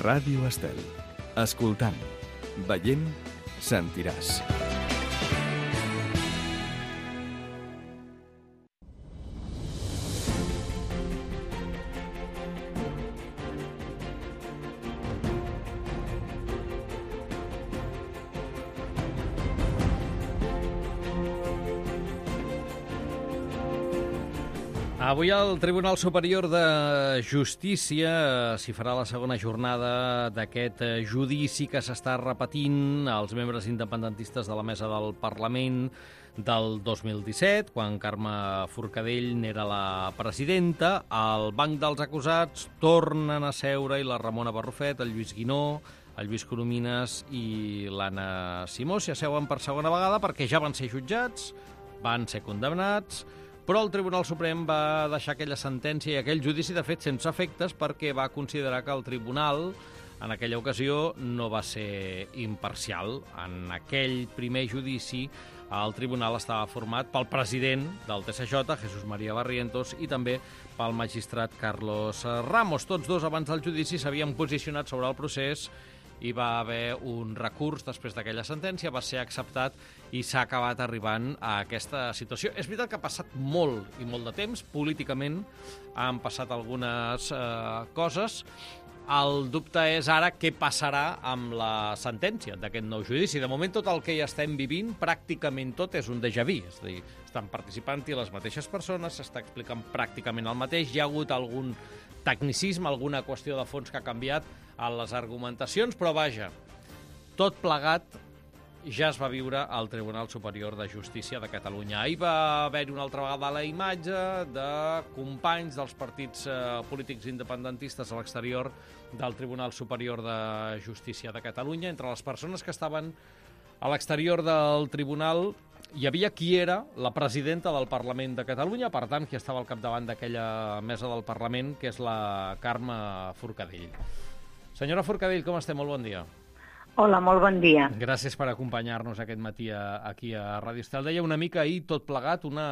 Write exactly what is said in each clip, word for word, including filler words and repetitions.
Ràdio Estel. Escoltant, veient, sentiràs. Avui al Tribunal Superior de Justícia s'hi farà la segona jornada d'aquest judici que s'està repetint als membres independentistes de la mesa del Parlament del dos mil disset, quan Carme Forcadell n'era la presidenta. Al banc dels acusats tornen a seure i la Ramona Barrufet, el Lluís Guinó, el Lluís Coromines i l'Anna Simó s'hi asseuen per segona vegada perquè ja van ser jutjats, van ser condemnats, però el Tribunal Suprem va deixar aquella sentència i aquell judici, de fet, sense efectes, perquè va considerar que el Tribunal, en aquella ocasió, no va ser imparcial. En aquell primer judici, el Tribunal estava format pel president del T S J, Jesús María Barrientos, i també pel magistrat Carlos Ramos. Tots dos, abans del judici, s'havien posicionat sobre el procés. Hi va haver un recurs després d'aquella sentència, va ser acceptat i s'ha acabat arribant a aquesta situació. És veritat que ha passat molt i molt de temps, políticament han passat algunes eh, coses. El dubte és ara què passarà amb la sentència d'aquest nou judici. De moment tot el que ja estem vivint, pràcticament tot és un déjà vu, és a dir, estan participant-hi les mateixes persones, s'està explicant pràcticament el mateix, hi ha hagut algun tecnicisme, alguna qüestió de fons que ha canviat a les argumentacions, però vaja, tot plegat ja es va viure al Tribunal Superior de Justícia de Catalunya. Ahir va haver-hi una altra vegada la imatge de companys dels partits eh, polítics independentistes a l'exterior del Tribunal Superior de Justícia de Catalunya. Entre les persones que estaven a l'exterior del tribunal hi havia qui era la presidenta del Parlament de Catalunya, per tant, qui estava al capdavant d'aquella mesa del Parlament, que és la Carme Forcadell. Senyora Forcadell, com estem? Molt bon dia. Hola, molt bon dia. Gràcies per acompanyar-nos aquest matí a, aquí a Ràdio Estel. Deia una mica ahir, tot plegat, una,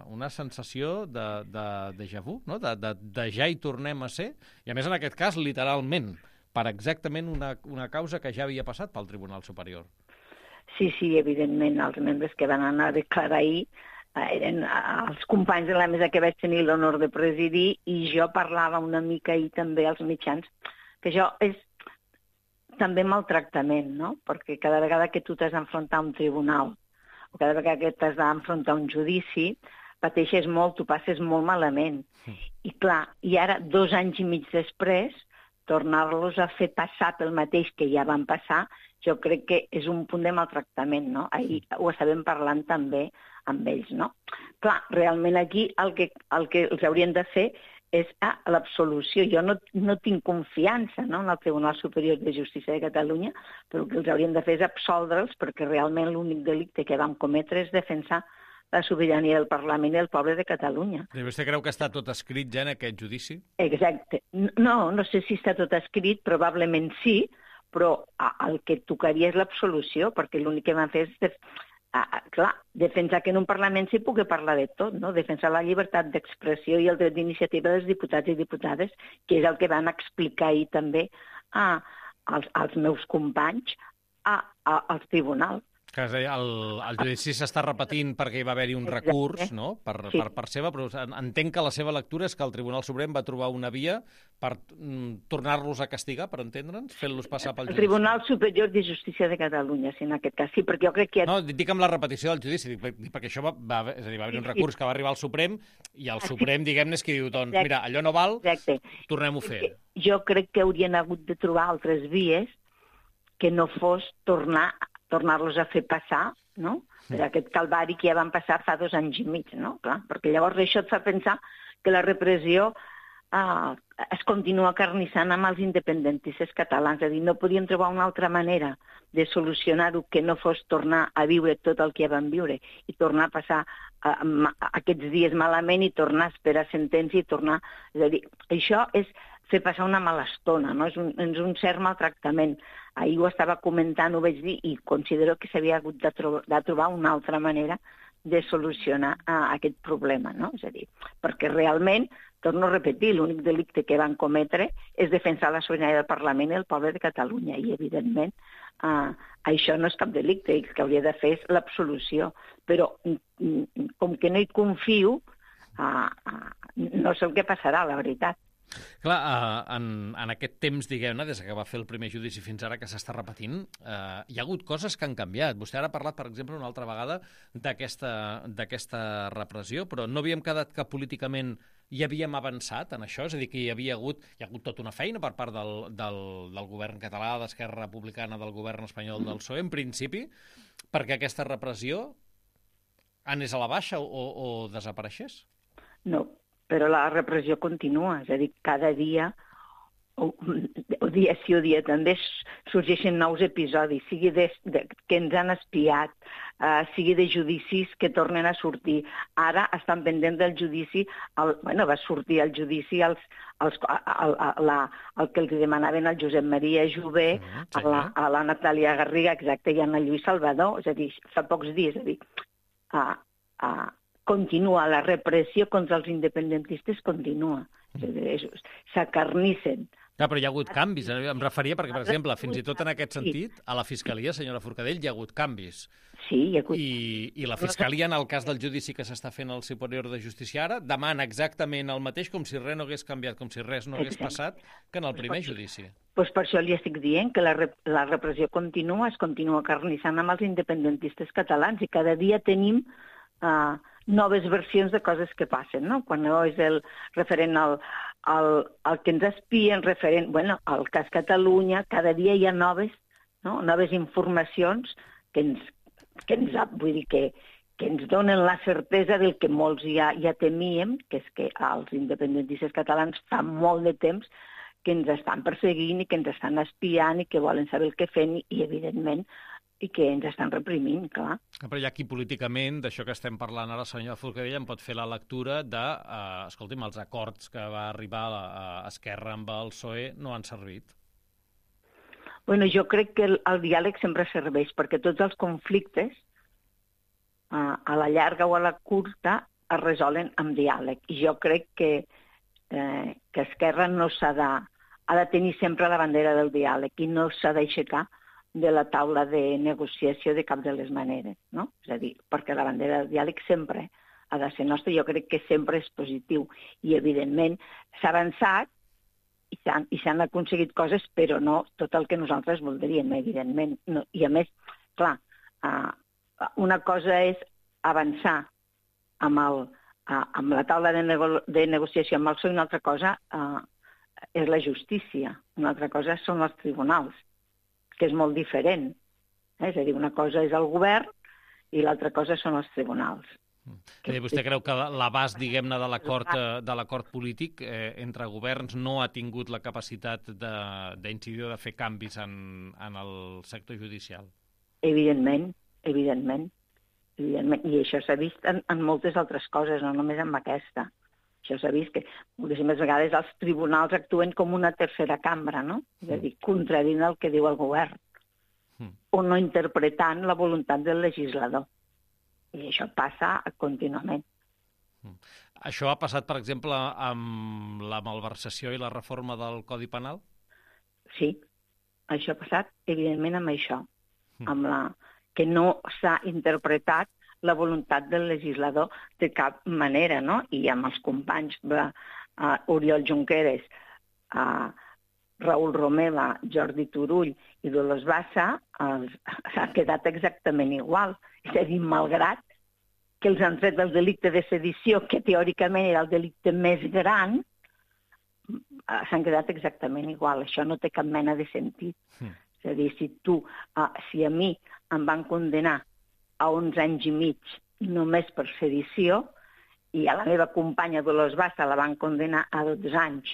una sensació de, de déjà vu, no? de, de, de ja hi tornem a ser, i a més en aquest cas literalment, per exactament una, una causa que ja havia passat pel Tribunal Superior. Sí, sí, evidentment, els membres que van anar a declarar ahir eren els companys de la mesa que vaig tenir l'honor de presidir, i jo parlava una mica ahir també als mitjans, que això és també maltractament, no? Perquè cada vegada que tu t'has d'enfrontar a un tribunal o cada vegada que t'has d'enfrontar a un judici, pateixes molt, tu passes molt malament. Sí. I clar, i ara, dos anys i mig després, tornar-los a fer passar pel mateix que ja van passar, jo crec que és un punt de maltractament, no? Ahir ho estàvem parlant també amb ells, no? Clar, realment aquí el que, el que els haurien de fer és ah, l'absolució. Jo no, no tinc confiança, no, en el Tribunal Superior de Justícia de Catalunya, però el que els haurien de fer és absoldre'ls, perquè realment l'únic delicte que vam cometre és defensar la sobirania del Parlament i del poble de Catalunya. I vostè creu que està tot escrit ja en aquest judici? Exacte. No, no sé si està tot escrit, probablement sí, però el que tocaria és l'absolució, perquè l'únic que van fer és... Def... Ah, clar, defensar que en un Parlament s'hi pugui parlar de tot, no? Defensar la llibertat d'expressió i el dret d'iniciativa dels diputats i diputades, que és el que van explicar ahir també a, als, als meus companys a, a, als tribunals. Que el, el judici s'està repetint perquè hi va haver-hi un Exacte. recurs, no?, per, Sí. per part seva, però entenc que la seva lectura és que el Tribunal Suprem va trobar una via per mm, tornar-los a castigar, per entendre'ns, fent-los passar pel El judici. Tribunal Superior de Justícia de Catalunya, sí, en aquest cas. Sí, perquè jo crec que... No, dic amb la repetició del judici, dic, dic, perquè això va, va, és a dir, va haver un recurs que va arribar al Suprem, i el Suprem, diguem-ne, és que diu, doncs, Exacte. mira, allò no val, Exacte. tornem-ho a fer. Jo crec que haurien hagut de trobar altres vies que no fos tornar tornar-los a fer passar, no? Per aquest calvari que ja van passar fa dos anys i mig, no? Clar, perquè llavors això et fa pensar que la repressió eh, es continua acarnissant amb els independentistes catalans. És a dir, no podien trobar una altra manera de solucionar-ho que no fos tornar a viure tot el que ja van viure i tornar a passar eh, aquests dies malament i tornar a esperar sentència i tornar... És a dir, això és fer passar una mala estona, no? És un, és un cert maltractament. Ahir ho estava comentant, ho vaig dir, i considero que s'havia hagut de, tro de trobar una altra manera de solucionar uh, aquest problema, no? És a dir, perquè realment torno a repetir, l'únic delicte que van cometre és defensar la sobirania del Parlament i el poble de Catalunya, i evidentment uh, això no és cap delicte, el que hauria de fer és l'absolució. Però com que no hi confio, uh, uh, no sé el que passarà, la veritat. Clar, uh, en, en aquest temps, diguem-ne, des que va fer el primer judici fins ara que s'està repetint, uh, hi ha hagut coses que han canviat. Vostè ara ha parlat, per exemple, una altra vegada d'aquesta repressió, però no havíem quedat que políticament hi havíem avançat en això? És a dir, que hi havia hagut, hi ha hagut tota una feina per part del, del, del govern català, d'Esquerra Republicana, del govern espanyol, del P S O E, en principi, perquè aquesta repressió anés a la baixa o, o desapareixés? No, però la repressió continua, és a dir, cada dia, o, o dia sí o dia també, sorgeixen nous episodis, sigui de, de, que ens han espiat, uh, sigui de judicis que tornen a sortir. Ara estan pendents del judici, el, bueno, va sortir el judici als, als, al, a, la, el que els demanaven al Josep Maria Jové, mm, sí, a, la, a la Natàlia Garriga, exacte, i a Lluís Salvador, és a dir, fa pocs dies, és a dir, uh, uh, continua, la repressió contra els independentistes continua. S'acarnissen. Clar, però hi ha hagut canvis. Em referia perquè, per exemple, fins i tot en aquest sentit, a la Fiscalia, senyora Forcadell, hi ha hagut canvis. Sí, hi ha hagut. I, i la Fiscalia, en el cas del judici que s'està fent al Superior de Justícia ara, demana exactament el mateix, com si res no hagués canviat, com si res no hagués passat, que en el primer judici. Doncs per això li estic dient que la, rep la repressió continua, es continua carnissant amb els independentistes catalans, i cada dia tenim Uh, noves versions de coses que passen, no? Quan no és el referent al, al, al que ens espien, referent, bueno, al cas Catalunya, cada dia hi ha noves, no? Noves informacions que ens, que ens, vull dir, que, que ens donen la certesa del que molts ja, ja temíem, que és que els independentistes catalans fa molt de temps que ens estan perseguint i que ens estan espiant i que volen saber el que fem i, i evidentment, i que ens estan reprimint, clar. Però hi ha qui políticament, d'això que estem parlant ara, senyora Forcadell, en pot fer la lectura de, eh, escolti'm, els acords que va arribar a, a Esquerra amb el P S O E no han servit. Bueno, jo crec que el, el diàleg sempre serveix, perquè tots els conflictes, eh, a la llarga o a la curta, es resolen amb diàleg. I jo crec que, eh, que Esquerra no s'ha de, ha de tenir sempre la bandera del diàleg i no s'ha d'aixecar de la taula de negociació de cap de les maneres, no? És a dir, perquè la bandera del diàleg sempre ha de ser nostra, jo crec que sempre és positiu. I, evidentment, s'ha avançat i s'han aconseguit coses, però no tot el que nosaltres voldríem, evidentment. No, i, a més, clar, uh, una cosa és avançar amb, el, uh, amb la taula de, nego de negociació amb el P S O E, i una altra cosa uh, és la justícia, una altra cosa són els tribunals, que és molt diferent. Eh? És a dir, una cosa és el govern i l'altra cosa són els tribunals. Mm. Vostè creu que l'abast, diguem-ne, de l'acord de l'acord polític eh, entre governs no ha tingut la capacitat d'incidir o de fer canvis en, en el sector judicial? Evidentment, evidentment. evidentment. I això s'ha vist en, en moltes altres coses, no només en aquesta. Això s'ha vist que moltíssimes vegades els tribunals actuen com una tercera cambra, no? És a dir, contradint el que diu el govern, mm. o no interpretant la voluntat del legislador. I això passa contínuament. Mm. Això ha passat, per exemple, amb la malversació i la reforma del Codi Penal? Sí, això ha passat, evidentment, amb això, mm. amb la que no s'ha interpretat la voluntat del legislador de cap manera, no? I amb els companys de uh, Oriol Junqueras, uh, Raül Romeva, Jordi Turull i Dolors Bassa, uh, s'ha quedat exactament igual. És a dir, malgrat que els han tret del delicte de sedició, que teòricament era el delicte més gran, uh, s'han quedat exactament igual. Això no té cap mena de sentit. Mm. És a dir, si tu, uh, si a mi em van condenar a onze anys i mig només per sedició, i a la meva companya Dolors Bassa la van condenar a dotze anys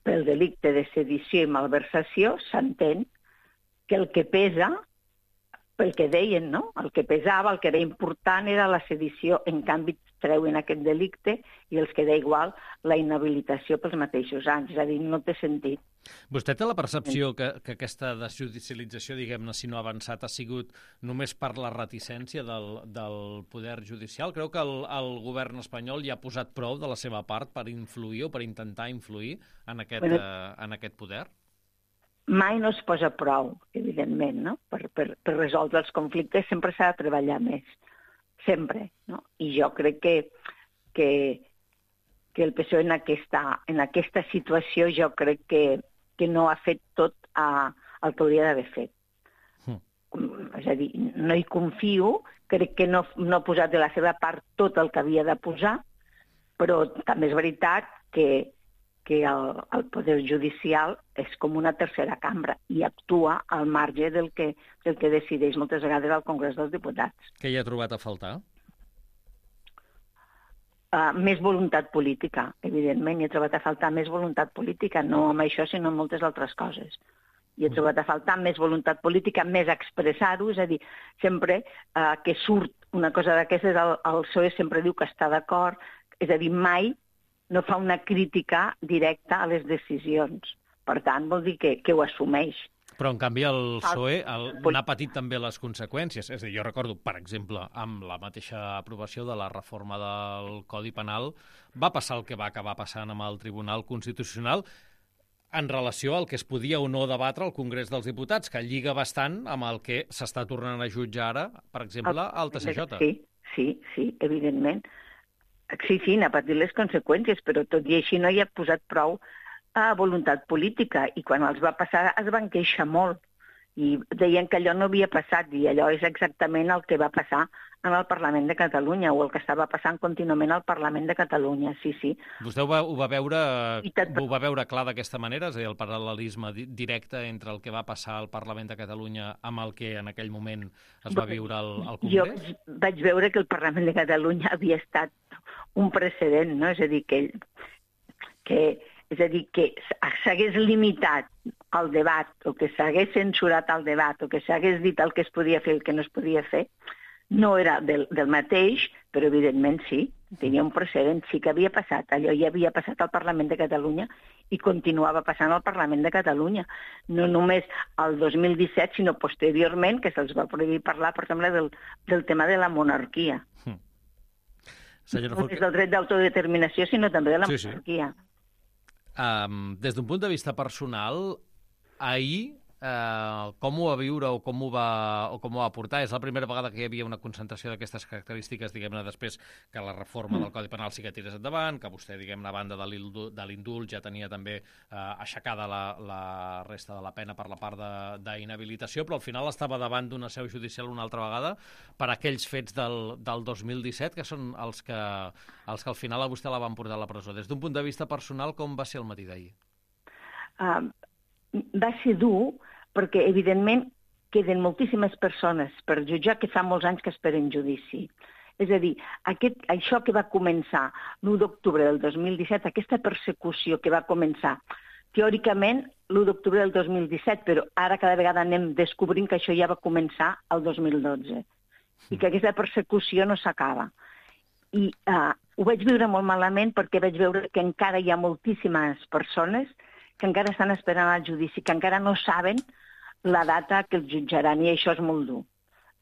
pel delicte de sedició i malversació, s'entén que el que pesa pel que deien, no? El que pesava, el que era important era la sedició. En canvi, treuen aquest delicte i els queda igual la inhabilitació pels mateixos anys. És a dir, no té sentit. Vostè té la percepció que, que aquesta desjudicialització, diguem-ne, si no ha avançat, ha sigut només per la reticència del, del poder judicial? Creu que el, el govern espanyol hi ha posat prou de la seva part per influir o per intentar influir en aquest, bueno, eh, en aquest poder? Mai no es posa prou, evidentment, no? Per, per, per resoldre els conflictes sempre s'ha de treballar més, sempre, no? I jo crec que, que, que el P S O E en aquesta, en aquesta situació jo crec que, que no ha fet tot a, el que hauria d'haver fet. Mm. És a dir, no hi confio, crec que no, no ha posat de la seva part tot el que havia de posar, però també és veritat que que el, el poder judicial és com una tercera cambra i actua al marge del que, del que decideix moltes vegades al Congrés dels Diputats. Què hi ha trobat a faltar? Uh, més voluntat política, evidentment. Hi ha trobat a faltar més voluntat política, no amb això, sinó amb moltes altres coses. Hi ha trobat a faltar més voluntat política, més expressar-ho, és a dir, sempre uh, que surt una cosa d'aquestes, el, el P S O E sempre diu que està d'acord, és a dir, mai no fa una crítica directa a les decisions. Per tant, vol dir que, que ho assumeix. Però, en canvi, el P S O E el, n'ha patit també les conseqüències. És a dir, jo recordo, per exemple, amb la mateixa aprovació de la reforma del Codi Penal, va passar el que va acabar passant amb el Tribunal Constitucional en relació al que es podia o no debatre al Congrés dels Diputats, que lliga bastant amb el que s'està tornant a jutjar ara, per exemple, al T C J. Sí, sí, sí, evidentment. Sí, sí, n'ha patit les conseqüències, però tot i així no hi ha posat prou a voluntat política. I quan els va passar es van queixar molt. I deien que allò no havia passat, i allò és exactament el que va passar en el Parlament de Catalunya, o el que estava passant contínuament al Parlament de Catalunya, sí, sí. Vostè ho va, ho va, veure, ho va veure clar d'aquesta manera? És a dir, el paral·lelisme directe entre el que va passar al Parlament de Catalunya amb el que en aquell moment es va viure al, al Congrés? Jo vaig veure que el Parlament de Catalunya havia estat un precedent, no? És a dir, que, que, és a dir, que s'hagués limitat el debat, o que s'hagués censurat el debat, o que s'hagués dit el que es podia fer i el que no es podia fer, no era del, del mateix, però evidentment sí, tenia un precedent, sí que havia passat. Allò ja havia passat al Parlament de Catalunya i continuava passant al Parlament de Catalunya. No només el dos mil disset, sinó posteriorment, que se'ls va prohibir parlar, per exemple, del, del tema de la monarquia. Mm. No només del dret d'autodeterminació, sinó també de la sí, monarquia. Sí. Um, des d'un punt de vista personal, ahir Uh, com ho va viure o com ho va, o com ho va portar? És la primera vegada que hi havia una concentració d'aquestes característiques, diguem-ne, després que la reforma del Codi Penal sí que tirés endavant, que vostè, diguem-ne, a banda de l'indult ja tenia també uh, aixecada la, la resta de la pena per la part d'inhabilitació, però al final estava davant d'una seu judicial una altra vegada per aquells fets del, del dos mil disset, que són els que, els que al final a vostè la van portar a la presó. Des d'un punt de vista personal, com va ser el matí d'ahir? Uh, va ser dur, perquè, evidentment, queden moltíssimes persones per jutjar que fa molts anys que esperen judici. És a dir, aquest, això que va començar l'u d'octubre del dos mil disset, aquesta persecució que va començar, teòricament, l'u d'octubre del dos mil disset, però ara cada vegada anem descobrint que això ja va començar el dos mil dotze, i que aquesta persecució no s'acaba. I uh, ho vaig viure molt malament perquè vaig veure que encara hi ha moltíssimes persones que encara estan esperant el judici, que encara no saben la data que els jutjaran, i això és molt dur.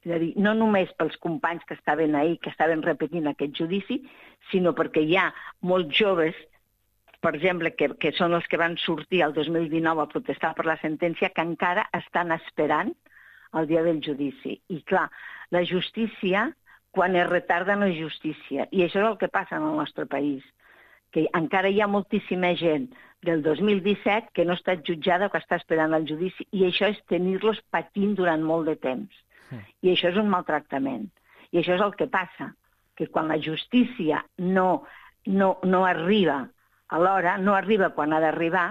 És a dir, no només pels companys que estaven ahir, que estaven repetint aquest judici, sinó perquè hi ha molts joves, per exemple, que, que són els que van sortir el dos mil dinou a protestar per la sentència, que encara estan esperant el dia del judici. I clar, la justícia, quan es retarda, no és justícia. I això és el que passa en el nostre país, que encara hi ha moltíssima gent del dos mil disset que no ha estat jutjada o que està esperant el judici, i això és tenir-los patint durant molt de temps. Sí. I això és un maltractament. I això és el que passa, que quan la justícia no, no, no arriba a l'hora, no arriba quan ha d'arribar,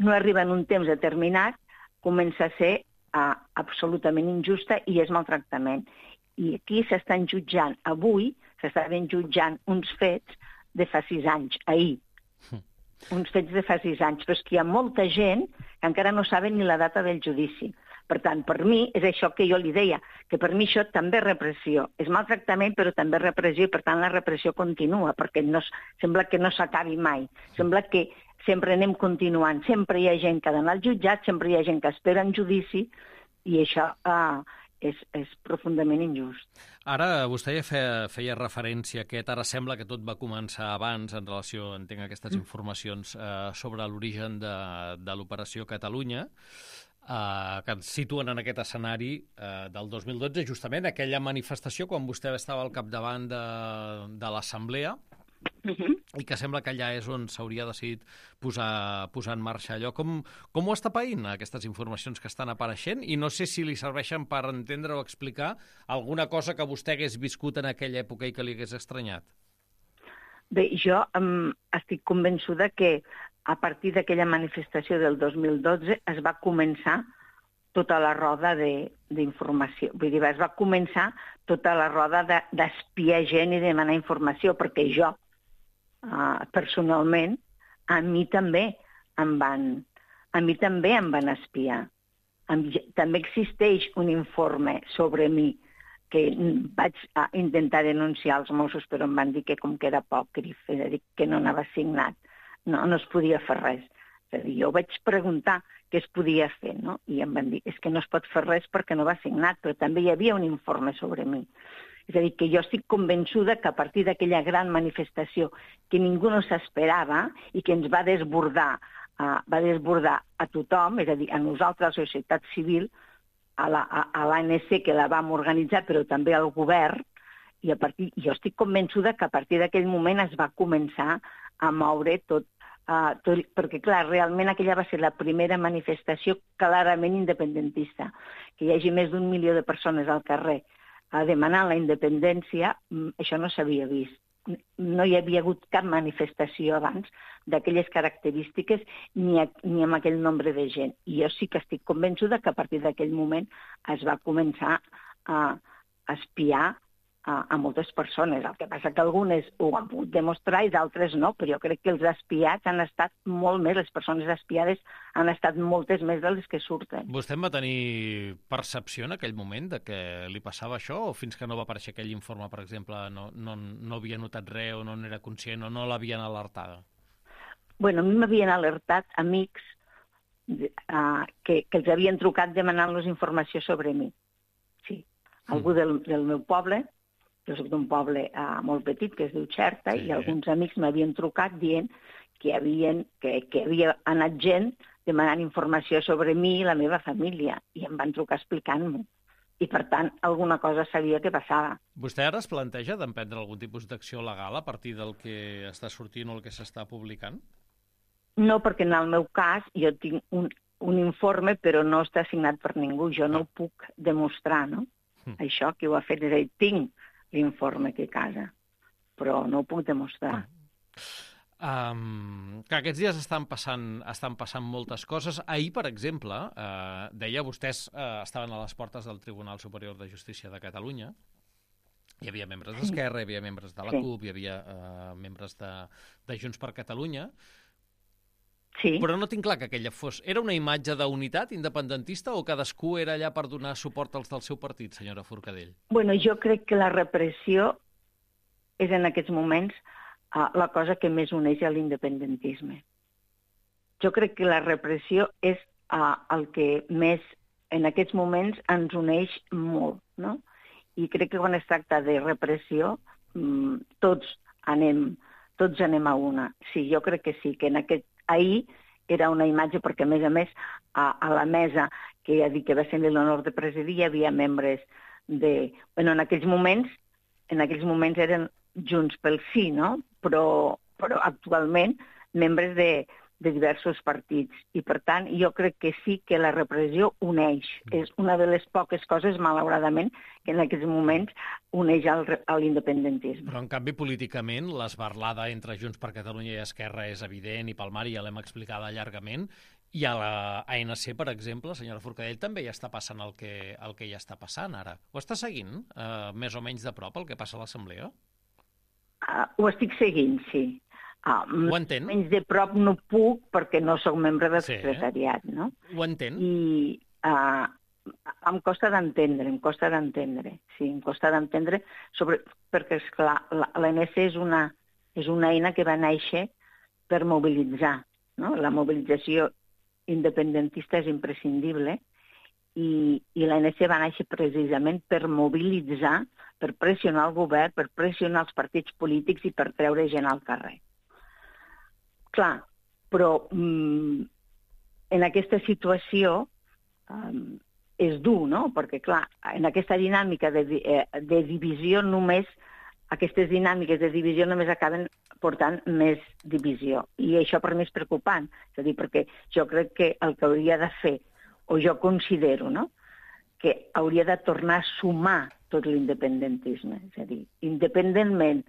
no arriba en un temps determinat, comença a ser uh, absolutament injusta i és maltractament. I aquí s'estan jutjant, avui s'estaven jutjant uns fets de fa sis anys, ahir. Sí. Uns fets de fa sis anys, però és que hi ha molta gent que encara no saben ni la data del judici. Per tant, per mi, és això que jo li deia, que per mi això també és repressió. És maltractament, però també és repressió, i per tant la repressió continua, perquè no, sembla que no s'acabi mai. Sembla que sempre anem continuant. Sempre hi ha gent que ha d'anar al jutjat, sempre hi ha gent que espera en judici, i això eh, és, és profundament injust. Ara, vostè ja feia, feia referència a aquest, ara sembla que tot va començar abans en relació, entenc, a aquestes informacions eh, sobre l'origen de, de l'Operació Catalunya, eh, que ens situen en aquest escenari eh, del dos mil dotze, justament aquella manifestació quan vostè estava al capdavant de, de l'Assemblea, Uh-huh. i que sembla que allà és on s'hauria decidit posar, posar en marxa allò. Com, com ho està païnt, aquestes informacions que estan apareixent? I no sé si li serveixen per entendre o explicar alguna cosa que vostè hagués viscut en aquella època i que li hagués estranyat. Bé, jo um, estic convençuda que a partir d'aquella manifestació del dos mil dotze es va començar tota la roda d'informació. Vull dir, es va començar tota la roda d'espiar de, gent i demanar informació, perquè jo, Uh, personalment, a mi també em van, a mi també em van espiar. Em, també existeix un informe sobre mi que vaig uh, intentar denunciar als Mossos, però em van dir que com que era apòcrif, és a dir, que no anava signat, no, no es podia fer res. És a dir, jo vaig preguntar què es podia fer, no? I em van dir, és que no es pot fer res perquè no va signat, però també hi havia un informe sobre mi. És a dir, que jo estic convençuda que a partir d'aquella gran manifestació que ningú no s'esperava i que ens va desbordar, uh, va desbordar a tothom, és a dir, a nosaltres, a la societat civil, a l'A N C, que la vam organitzar, però també al govern, i a partir, jo estic convençuda que a partir d'aquell moment es va començar a moure tot, uh, tot, perquè clar, realment aquella va ser la primera manifestació clarament independentista, que hi hagi més d'un milió de persones al carrer a demanar la independència, això no s'havia vist. No hi havia hagut cap manifestació abans d'aquelles característiques ni, a, ni amb aquell nombre de gent. I jo sí que estic convençuda que a partir d'aquell moment es va començar a, a espiar a, a moltes persones. El que passa que algunes ho han pogut demostrar i d'altres no, però jo crec que els espiats han estat molt més, les persones espiades han estat moltes més de les que surten. Vostè en va tenir percepció en aquell moment de que li passava això, o fins que no va aparèixer aquell informe, per exemple, no, no, no havia notat res o no n'era conscient o no l'havien alertada? Bueno, a mi m'havien alertat amics uh, que, que els havien trucat demanant-los informació sobre mi. Sí, algú mm. del, del meu poble. Jo soc d'un poble uh, molt petit, que es diu Xerta, sí. I alguns amics m'havien trucat dient que, havien, que, que havia anat gent demanant informació sobre mi i la meva família, i em van trucar explicant-m'ho. I, per tant, alguna cosa sabia que passava. Vostè ara es planteja d'emprendre algun tipus d'acció legal a partir del que està sortint o el que s'està publicant? No, perquè en el meu cas jo tinc un, un informe, però no està signat per ningú. Jo no ho puc demostrar, no? Mm. Això que ho ha fet, és a dir, tinc l'informe que a casa, però no ho puc demostrar. Um, que aquests dies estan passant, estan passant moltes coses. Ahir, per exemple, uh, deia, vostès uh, estaven a les portes del Tribunal Superior de Justícia de Catalunya. Hi havia membres d'Esquerra, hi havia membres de la sí. CUP, hi havia uh, membres de, de Junts per Catalunya. Sí. Però no tinc clar que aquella fos... Era una imatge d'unitat independentista o cadascú era allà per donar suport als del seu partit, senyora Forcadell? Bueno, jo crec que la repressió és en aquests moments uh, la cosa que més uneix a l'independentisme. Jo crec que la repressió és uh, el que més en aquests moments ens uneix molt, no? I crec que quan es tracta de repressió um, tots anem, tots anem a una. Sí, jo crec que sí, que en aquest ahir era una imatge perquè, a més a més, a, a la mesa que ja dic que va tenir l'honor de presidir hi havia membres de... Bueno, en aquells moments, en aquells moments eren Junts pel Sí, no? Però, però actualment membres de, de diversos partits. I, per tant, jo crec que sí que la repressió uneix. És una de les poques coses, malauradament, que en aquests moments uneix al, a l'independentisme. Però, en canvi, políticament, l'esbarlada entre Junts per Catalunya i Esquerra és evident, i pel Mar ja l'hem explicada llargament, i a la A N C, per exemple, senyora Forcadell, també ja està passant el que, el que ja està passant ara. Ho està seguint, eh, més o menys de prop, el que passa a l'Assemblea? Uh, ho estic seguint, sí. Uh, Ho entén? Menys de prop no puc perquè no sóc membre del sí. secretariat, no? Ho entén? I uh, em costa d'entendre, em costa d'entendre, sí, em costa d'entendre, sobre, perquè, esclar, l'A N C és una, és una eina que va néixer per mobilitzar, no? La mobilització independentista és imprescindible i, i l'A N C va néixer precisament per mobilitzar, per pressionar el govern, per pressionar els partits polítics i per treure gent al carrer. Clar, però mm, en aquesta situació um, és dur, no? Perquè, clar, en aquesta dinàmica de, de divisió només, aquestes dinàmiques de divisió només acaben portant més divisió. I això per mi és preocupant. És a dir, perquè jo crec que el que hauria de fer, o jo considero, no?, que hauria de tornar a sumar tot l'independentisme. És a dir, independentment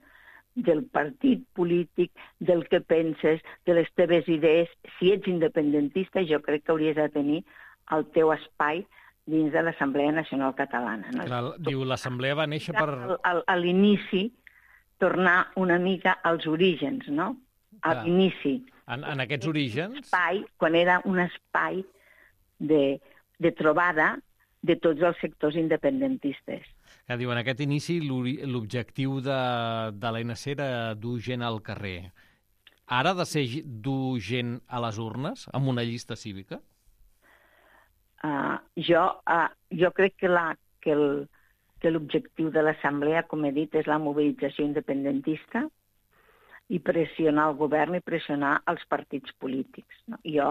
del partit polític, del que penses, de les teves idees, si ets independentista, jo crec que hauries de tenir el teu espai dins de l'Assemblea Nacional Catalana. No? Clar, diu, l'Assemblea va néixer per... A, a l'inici, tornar una mica als orígens, no? A l'inici. En, en aquests orígens... Espai, quan era un espai de, de trobada de tots els sectors independentistes. Que diu, en aquest inici l'objectiu de, de l'A N C era dur gent al carrer. Ara ha de ser dur gent a les urnes, amb una llista cívica? Uh, jo, uh, jo crec que la, que el, que l'objectiu de l'Assemblea, com he dit, és la mobilització independentista i pressionar el govern i pressionar els partits polítics. No? Jo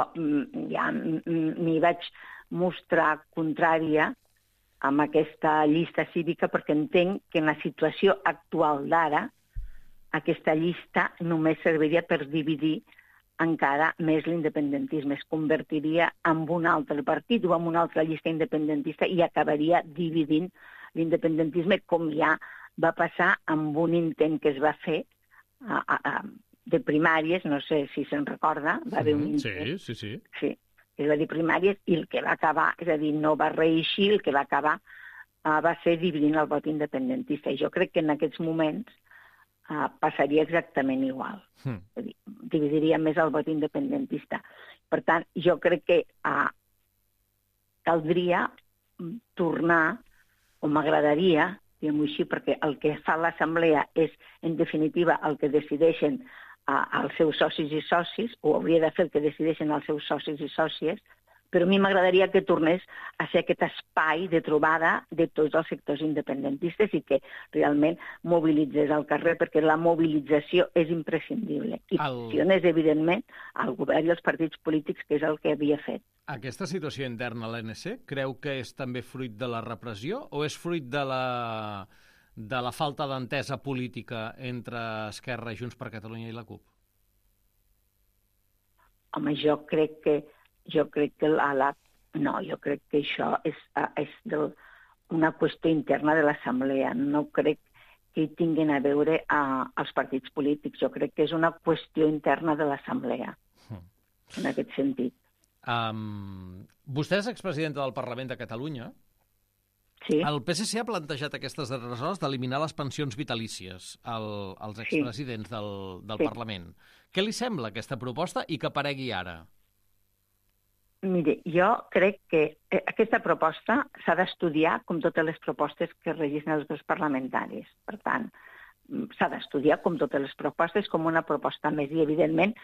ja m'hi vaig mostrar contrària amb aquesta llista cívica perquè entenc que en la situació actual d'ara aquesta llista només serviria per dividir encara més l'independentisme. Es convertiria en un altre partit o en una altra llista independentista i acabaria dividint l'independentisme, com ja va passar amb un intent que es va fer a, a, a, de primàries, no sé si se'n recorda, va haver un intent. Sí, sí, sí. Sí, es va dir primàries i el que va acabar, és a dir, no va reeixir, el que va acabar uh, va ser dividint el vot independentista. I jo crec que en aquests moments uh, passaria exactament igual. Mm. És a dir, dividiria més el vot independentista. Per tant, jo crec que uh, caldria tornar, o m'agradaria, diguem-ho així, perquè el que fa l'Assemblea és, en definitiva, el que decideixen uh, els seus socis i socis, o hauria de fer el que decideixen els seus socis i sòcies, però a mi m'agradaria que tornés a ser aquest espai de trobada de tots els sectors independentistes i que realment mobilitzés al carrer, perquè la mobilització és imprescindible. I pressiones, el... evidentment, al govern i als partits polítics, que és el que havia fet. Aquesta situació interna a l'A N C creu que és també fruit de la repressió o és fruit de la, de la falta d'entesa política entre Esquerra, Junts per Catalunya i la CUP? Home, jo crec que jo crec que la, la, no, jo crec que això és, és del, una qüestió interna de l'Assemblea. No crec que hi tinguin a veure a, als partits polítics. Jo crec que és una qüestió interna de l'Assemblea, en aquest sentit. Um, vostè és expresidenta del Parlament de Catalunya. Sí. El P S C ha plantejat aquestes darreres hores d'eliminar les pensions vitalícies al, als expresidents sí. del, del sí. Parlament. Què li sembla aquesta proposta i que aparegui ara? Mire, jo crec que aquesta proposta s'ha d'estudiar com totes les propostes que registren els grups parlamentaris. Per tant, s'ha d'estudiar com totes les propostes, com una proposta més, i evidentment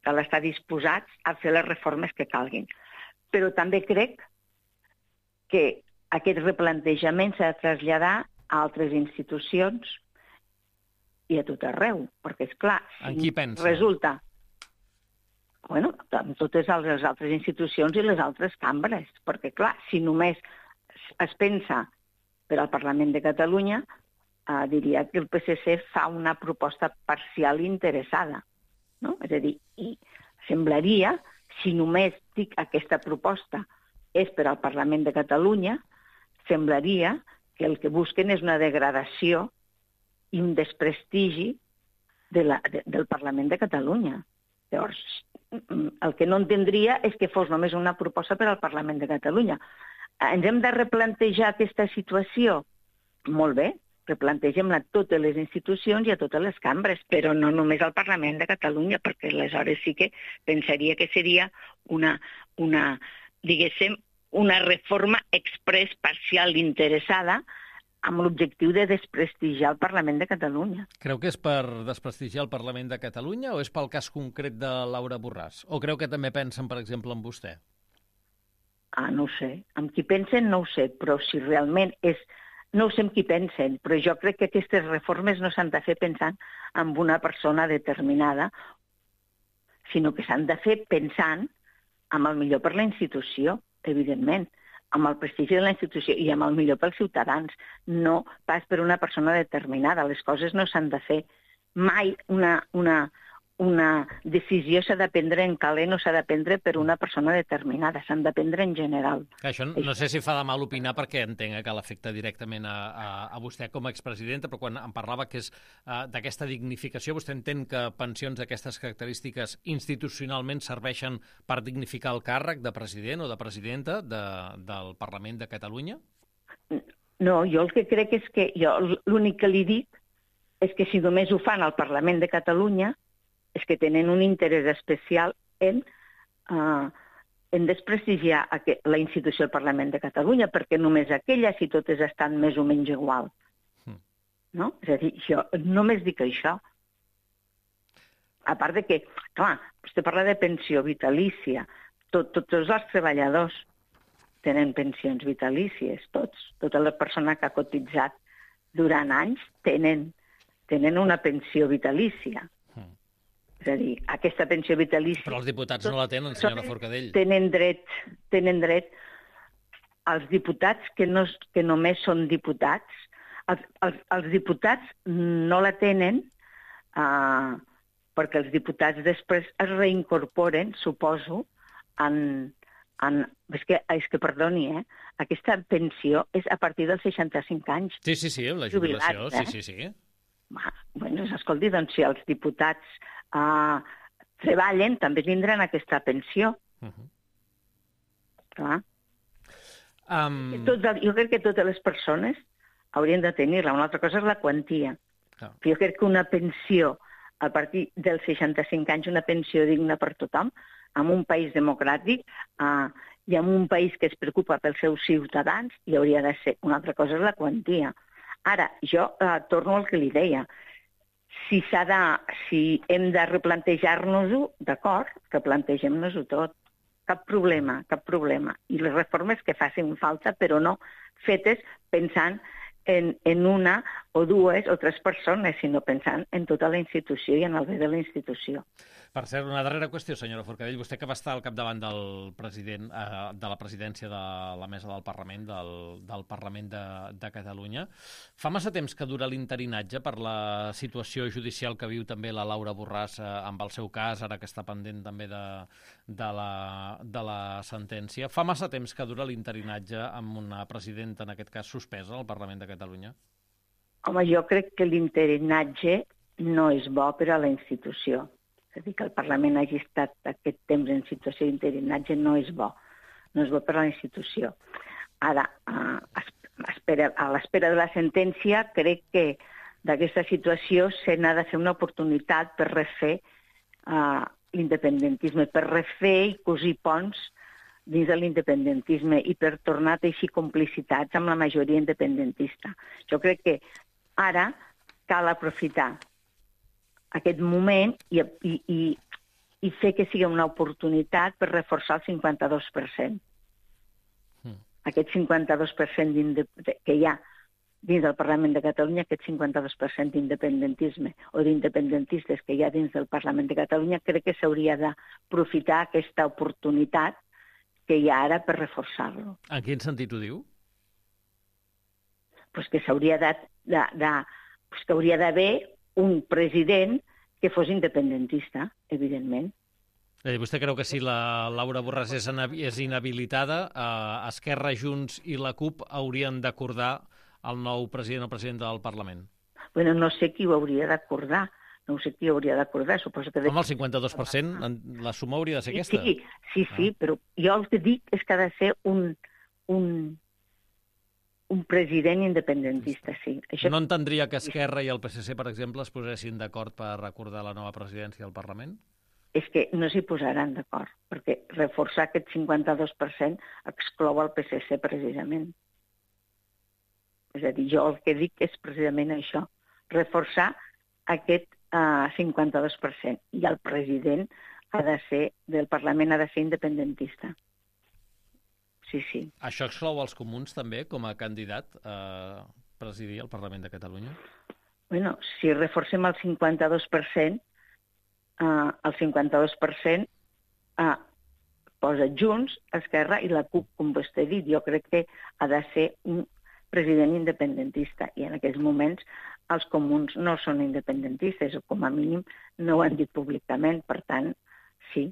cal estar disposats a fer les reformes que calguin. Però també crec que aquest replantejament s'ha de traslladar a altres institucions i a tot arreu, perquè, és clar, en qui pensa? Resulta... Bueno, amb totes les altres institucions i les altres cambres, perquè, clar, si només es pensa per al Parlament de Catalunya, eh, diria que el P S C fa una proposta parcial i interessada, no? És a dir, i semblaria, si només dic aquesta proposta és per al Parlament de Catalunya, semblaria que el que busquen és una degradació i un desprestigi de la, de, del Parlament de Catalunya. Llavors, el que no entendria és que fos només una proposta per al Parlament de Catalunya. Ens hem de replantejar aquesta situació? Molt bé, replantegem-la a totes les institucions i a totes les cambres, però no només al Parlament de Catalunya, perquè aleshores sí que pensaria que seria una, una diguéssim, una reforma express parcial interessada amb l'objectiu de desprestigiar el Parlament de Catalunya. Creu que és per desprestigiar el Parlament de Catalunya o és pel cas concret de Laura Borràs? O creu que també pensen, per exemple, en vostè? Ah, no ho sé. Amb qui pensen no ho sé, però si realment és... No ho sé amb qui pensen, però jo crec que aquestes reformes no s'han de fer pensant en una persona determinada, sinó que s'han de fer pensant en el millor per la institució, evidentment, amb el prestigi de la institució i amb el millor pels ciutadans, no pas per una persona determinada. Les coses no s'han de fer mai una... una una decisió s'ha de prendre en calent o s'ha de prendre per una persona determinada, s'han de prendre en general. Això no sé si fa de mal opinar perquè entenc que l'afecta directament a, a, a vostè com a expresidenta, però quan em parlava que és uh, d'aquesta dignificació, vostè entén que pensions d'aquestes característiques institucionalment serveixen per dignificar el càrrec de president o de presidenta de, del Parlament de Catalunya? No, jo el que crec és que jo l'únic que li dic és que si només ho fan al Parlament de Catalunya és que tenen un interès especial en, uh, en desprestigiar la institució del Parlament de Catalunya, perquè només aquella, si totes estan més o menys igual. Mm. No? És a dir, jo només dic això. A part de que, clar, vostè parla de pensió vitalícia, tot, tots els treballadors tenen pensions vitalícies, tots. Tota la persona que ha cotitzat durant anys tenen, tenen una pensió vitalícia. És a dir, aquesta pensió vitalícia... Però els diputats no la tenen, senyora Forcadell. Tenen dret, tenen dret els diputats que, no, que només són diputats. Els, els, els diputats no la tenen uh, perquè els diputats després es reincorporen, suposo, en... en és, que, és que, perdoni, eh? Aquesta pensió és a partir dels seixanta-cinc anys. Sí, sí, sí, la jubilació, jubilats, eh? sí, sí, sí. Bueno, escolti, doncs si els diputats uh, treballen, també tindran aquesta pensió. Uh-huh. Clar. Um... Tots, jo crec que totes les persones haurien de tenir-la. Una altra cosa és la quantia. Uh. Jo crec que una pensió a partir dels seixanta-cinc anys, una pensió digna per tothom, en un país democràtic uh, i en un país que es preocupa pels seus ciutadans, hi hauria de ser. Una altra cosa és la quantia. Ara, jo eh, torno al que li deia. Si, s'ha de, si hem de replantejar-nos-ho, d'acord, replantegem-nos-ho tot. Cap problema, cap problema. I les reformes que facin falta, però no fetes pensant en, en una o dues o tres persones, sinó pensant en tota la institució i en el bé de la institució. Per cert, una darrera qüestió, senyora Forcadell. Vostè que va estar al capdavant del president, eh, de la presidència de la mesa del Parlament, del, del Parlament de, de Catalunya. Fa massa temps que dura l'interinatge per la situació judicial que viu també la Laura Borràs eh, amb el seu cas, ara que està pendent també de, de, la, de la sentència. Fa massa temps que dura l'interinatge amb una presidenta, en aquest cas, suspesa al Parlament de Catalunya? Home, jo crec que l'interinatge no és bo per a la institució. És a dir, que el Parlament hagi estat aquest temps en situació d'interinatge no és bo. No és bo per a la institució. Ara, a l'espera de la sentència, crec que d'aquesta situació se n'ha de fer una oportunitat per refer uh, l'independentisme, per refer i cosir ponts dins de l'independentisme i per tornar a teixir complicitats amb la majoria independentista. Jo crec que ara cal aprofitar aquest moment i, i, i, i fer que sigui una oportunitat per reforçar el cinquanta-dos per cent. Mm. Aquest cinquanta-dos per cent que hi ha dins del Parlament de Catalunya, aquest cinquanta-dos per cent d'independentisme o d'independentistes que hi ha dins del Parlament de Catalunya, crec que s'hauria d'aprofitar aquesta oportunitat que hi ha ara per reforçar-lo. En quin sentit ho diu? Pues que s'hauria de, de, de, pues que hauria d'haver un president que fos independentista, evidentment. Eh, vostè creu que si la Laura Borràs és, és inhabilitada, eh, Esquerra, Junts i la CUP haurien d'acordar el nou president o presidenta del Parlament? Bueno, no sé qui ho hauria d'acordar. No sé qui ho hauria d'acordar. Suposo que... Com el cinquanta-dos per cent, la suma hauria de ser aquesta? Sí, sí, sí, ah. Però jo el que dic és que ha de ser un... un un president independentista, sí. Això... No entendria que Esquerra i el P S C, per exemple, es posessin d'acord per recordar la nova presidència del Parlament? és que no s'hi posaran d'acord, perquè reforçar aquest cinquanta-dos per cent exclou el P S C precisament. És a dir, jo el que dic és precisament això, reforçar aquest uh, cinquanta-dos per cent. I el president ha de ser, del Parlament ha de ser independentista. Sí, sí. Això exclou els comuns també com a candidat a presidir el Parlament de Catalunya? Bueno, si reforcem el cinquanta-dos per cent, uh, el cinquanta-dos per cent uh, posa Junts, Esquerra i la CUP, com vostè ha dit. Jo crec que ha de ser un president independentista i en aquests moments els comuns no són independentistes o com a mínim no ho han dit públicament, per tant, sí.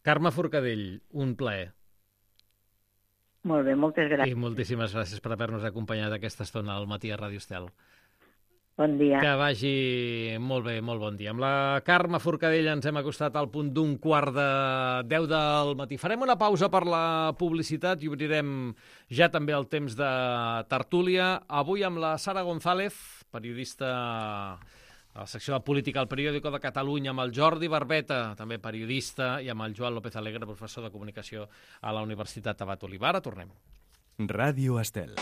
Carme Forcadell, un plaer. Molt bé, moltes gràcies. I moltíssimes gràcies per haver-nos acompanyat aquesta estona al matí a Ràdio Estel. Bon dia. Que vagi molt bé, molt bon dia. Amb la Carme Forcadell ens hem acostat al punt d'un quart de deu del matí. Farem una pausa per la publicitat i obrirem ja també el temps de tertúlia. Avui amb la Sara González, periodista a la secció de política al Periódico de Catalunya, amb el Jordi Barbeta, també periodista, i amb el Joan López Alegre, professor de comunicació a la Universitat Abat Olivar. Tornem. Ràdio Estel.